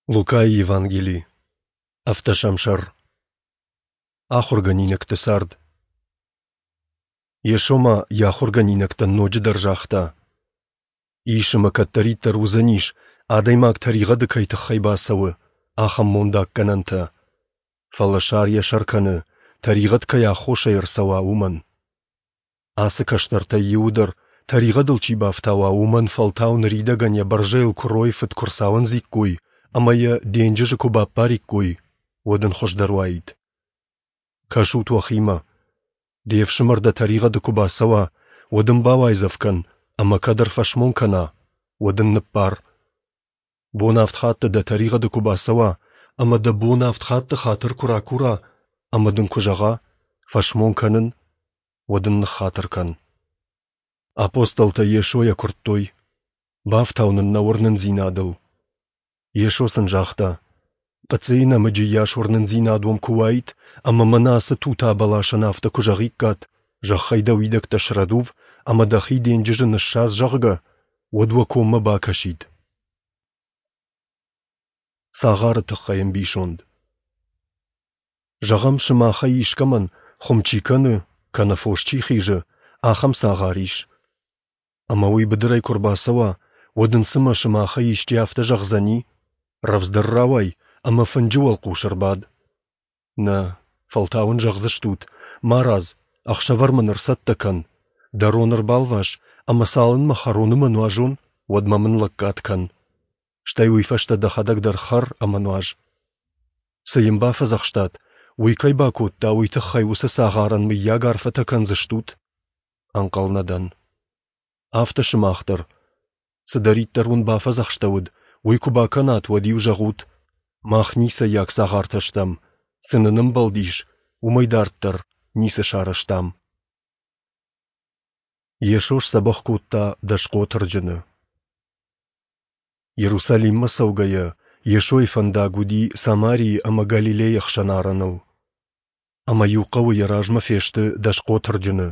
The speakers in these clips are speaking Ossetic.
Лукайы Евангели, ӕвддӕсӕм сӕр. Ахуыргӕнинӕгты цард. Йесо ма йӕ ахуыргӕнинӕгтӕн ноджыдӕр загъта: Ис ӕмӕ кӕддӕриддӕр уыдзӕнис, адӕймаг тӕригъӕды кӕй тыххӕй бацӕуы, ахӕм мондаггӕнӕнтӕ. Фӕлӕ сар йӕ сӕр кӕны, тӕригъӕд кӕй аххосӕй ӕрцӕуа, уымӕн. Ацы кӕстӕртӕй иуы дӕр тӕригъӕдыл чи бафтауа, уымӕн фӕлтау ныридӕгӕн йӕ бӕрзӕйыл куыройы фыд куы рцауындзиккой ӕмӕ йӕ денджызы куы баппариккой, уӕд ын хуыздӕр уаид. Кӕсут уӕхимӕ. Де фсымӕр дӕ тӕригъӕды куы бацӕуа, уӕд ын бауайдзӕф кӕн, ӕмӕ кӕд ӕрфӕсмон кӕна, уӕд ын ныббар. Бон авд хатты дӕ тӕригъӕды куы бацӕуа ӕмӕ дӕ бон авд хатты хатыр куы ракура ӕмӕ дын куы зӕгъа, фӕсмон кӕнын, уӕд ын ныххатыр кӕн. Апостолтӕ Йесойӕ куырдтой, бафтау нын нӕ уырнындзинадыл. Йесо сын загъта, Хъыцъыйы нӕмыджы йас уырнындзинад уӕм куы уаид, ӕмӕ мӕнӕ ацы тута бӕласӕн афтӕ куы зӕгъиккат, зӕххӕй дӕ уидӕгтӕ срӕдув ӕмӕ дӕхи денджызы ныссадз, зӕгъгӕ, уӕд уӕ коммӕ бакӕсид. Цагъары тыххӕй ӕмбисонд. Зӕгъӕм, сымахӕй искӕмӕн, хуым чи кӕны, кӕнӕ фос чи хизы, ахӕм цагъар ис. Ӕмӕ уый быдырӕй куы рбацӕуа, уӕд ын цымӕ сымахӕй исчи афтӕ зӕгъдзӕни: рӕвдздӕр рауай ӕмӕ фынджы уӕлхъус ӕрбад. Нӕ, фӕлтау ын зӕгъдзыстут: марадз, ӕхсӕвӕр мын ӕрцӕттӕ кӕн, дӕ рон ӕрбалвас ӕмӕ цалынмӕ хӕрон ӕмӕ нуазон, уӕдмӕ мын лӕггад кӕн. Стӕй уый фӕстӕ дӕхӕдӕг дӕр хӕр ӕмӕ нуаз. Цы йын бафӕдзӕхстат, уый кӕй бакодта, уый тыххӕй уыцы цагъарӕн мыййаг арфӕтӕ кӕндзыстут? Ӕнхъӕл нӕ дӕн. Афтӕ сымах дӕр. Цыдӕриддӕр уын бафӕдзӕхстӕуыд, уый куы бакӕнат, уӕд-иу зӕгъут: Мах ницӕййаг цагъартӕ стӕм, цы нын ӕмбӕлдис, уымӕй дарддӕр ницы сарӕзтам. Йесо сдзӕбӕх кодта дӕсхъотырджыны. Иерусалиммӕ цӕугӕйӕ, Йесойы фӕндаг уыди Самарийы ӕмӕ Галилейы ӕхсӕн арӕныл. Ӕмӕ иу хъӕуы йӕ размӕ фесты дӕсхъотырджыны.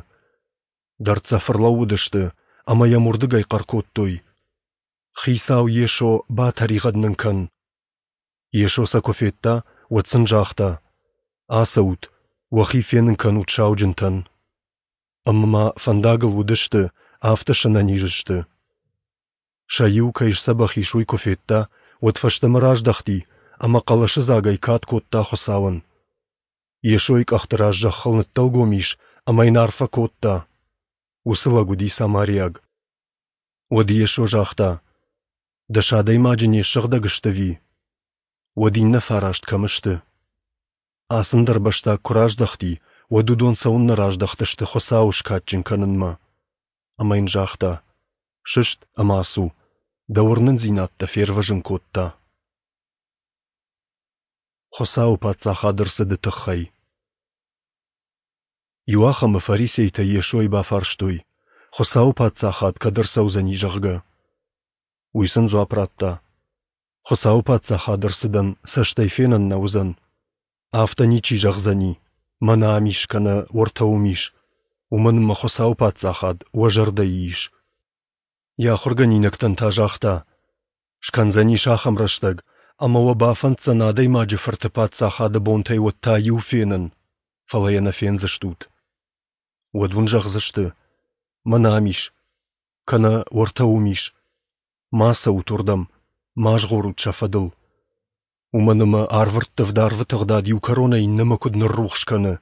Дӕрддзӕф ӕрлӕууыдысты ӕмӕ йӕм уырдыгӕй хъӕр кодтой: «Хицау Йесо, батӕригъӕд нын кӕн!» Йесо сӕ куы федта, уӕд сын загъта: «Ацӕут, уӕхи фенын кӕнут сауджынтӕн». Ӕмӕ ма фӕндагыл уыдысты, афтӕ сӕнӕниз сты. Сӕ иу кӕй сдзӕбӕх ис, уый куы федта, уӕд фӕстӕмӕ раздӕхти ӕмӕ хъӕлӕсыдзагӕй кад кодта Хуыцауӕн. Йесойы къӕхты раз зӕххыл ныддӕлгом ис ӕмӕ йын арфӕ кодта. Уыцы лӕг уыди самариаг. Уӕд Йесо загъта: Дӕс адӕймаджы не ссыгъдӕг сты ӕви? Уӕд иннӕ фараст кӕм сты? Ацы ӕндӕрбӕстаг куы раздӕхти, уӕд уыдон цӕуыннӕ раздӕхтысты Хуыцауы скадджын кӕнынмӕ? Ӕмӕ йын загъта: Сыст ӕмӕ ацу, дӕ уырнындзинад дӕ фервӕзын кодта. Хуыцауы Паддзахады ӕрцыды тыххӕй. Иуахӕмы фарисейтӕ Йесойы бафарстой, Хуыцауы Паддзахад кӕд ӕрцӕудзӕни, зӕгъгӕ. Уый сын дзуапп радта: Хуыцауы Паддзахады ӕрцыдӕн цӕстӕй фенӕн нӕ уыдзӕн. Афтӕ ничи зӕгъдзӕни, мӕнӕ ам ис кӕнӕ уӕртӕ уым ис, уымӕн ӕмӕ Хуыцауы Паддзахад уӕ зӕрдӕйы ис. Йӕ ахуыргӕнинӕгтӕн та загъта: Скӕндзӕнис ахӕм рӕстӕг, ӕмӕ уӕ бафӕнддзӕн Адӕймаджы Фырты Паддзахады бонтӕй уӕд та иу фенын, фӕлӕ йӕ нӕ фендзыстут. Уӕд уын зӕгъдзысты: Мӕнӕ ам ис, кӕнӕ уӕртӕ уым ис. Ма цӕут уырдӕм, ма згъорут сӕ фӕдыл. Уымӕн ӕмӕ арвырттывд арвы тыгъдад иу кӕронӕй иннӕмӕ куыд ныррухс кӕны,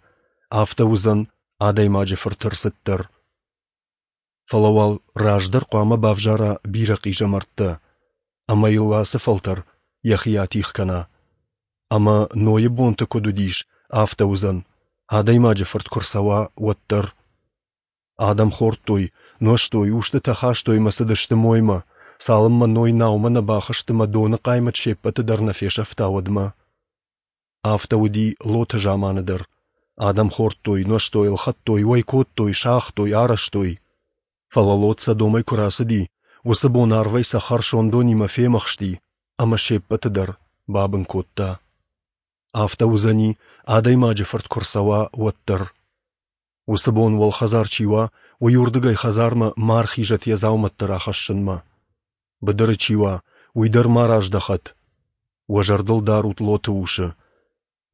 афтӕ уыдзӕн Адӕймаджы Фырты ӕрцыд дӕр. Фӕлӕ уал раздӕр хъуамӕ бавзара бирӕ хъизӕмӕрттӕ, ӕмӕ йыл ацы фӕлтӕр йӕхи атигъ кӕна. Ӕмӕ Нойы бонты куыд уыдис, афтӕ уыдзӕн, Адӕймаджы Фырт куы рцӕуа, уӕд дӕр. Адӕм хордтой, нуӕзтой, устытӕ хастой ӕмӕ цыдысты моймӕ, цалынмӕ Ной наумӕ нӕ бахызт ӕмӕ доны хъаймӕт се ппӕты дӕр нӕ фесӕфта, уӕдмӕ. Афтӕ уыди Лоты заманы дӕр. Адӕм хордтой, нуӕзтой, ӕлхӕдтой, уӕй кодтой, сагътой, арӕзтой. Фӕлӕ Лот Содомӕй куы рацыди, уыцы бон арвӕй цӕхӕр сондонимӕ фемӕхсти ӕмӕ се ппӕты дӕр бабын кодта. Афтӕ уыдзӕни, Адӕймаджы Фырт куы рцӕуа, уӕд дӕр. Уыцы бон уӕлхӕдзар чи уа, уый уырдыгӕй хӕдзармӕ ма ӕрхизӕд йӕ дзаумӕттӕ рахӕссынмӕ. Быдыры чи уа, уый дӕр ма раздӕхӕд. Уӕ зӕрдыл дарут Лоты усы.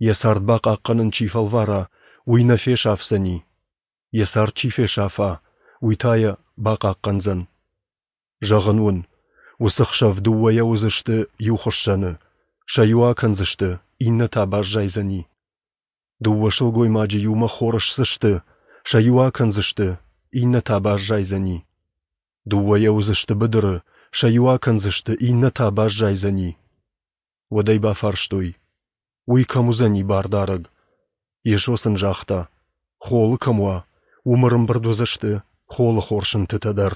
Йӕ цард бахъахъхъӕнын чи фӕлвара, уый нӕ фесӕфдзӕни. Йӕ цард чи фесафа, уый та йӕ бахъахъхъӕндзӕн. Зӕгъын уын, уыцы хсӕв дыууӕйӕ уыдзысты иу хуыссӕны, сӕ иу акӕндзысты, иннӕ та баззайдзӕни. Дыууӕ сылгоймаджы иумӕ хор ссдзысты, сӕ иу акӕндзысты, иннӕ та баззайдзӕни. Дыууӕйӕ уыдзысты быдыры, сӕ иу акӕндзысты, иннӕ та баззайдзӕни. Уӕд ӕй бафарстой, уый кӕм уыдзӕни бардарӕг? Йесо сын загъта, холы кӕм уа, уым ӕрӕмбырд уыдзысты холыхор сынтытӕ дӕр.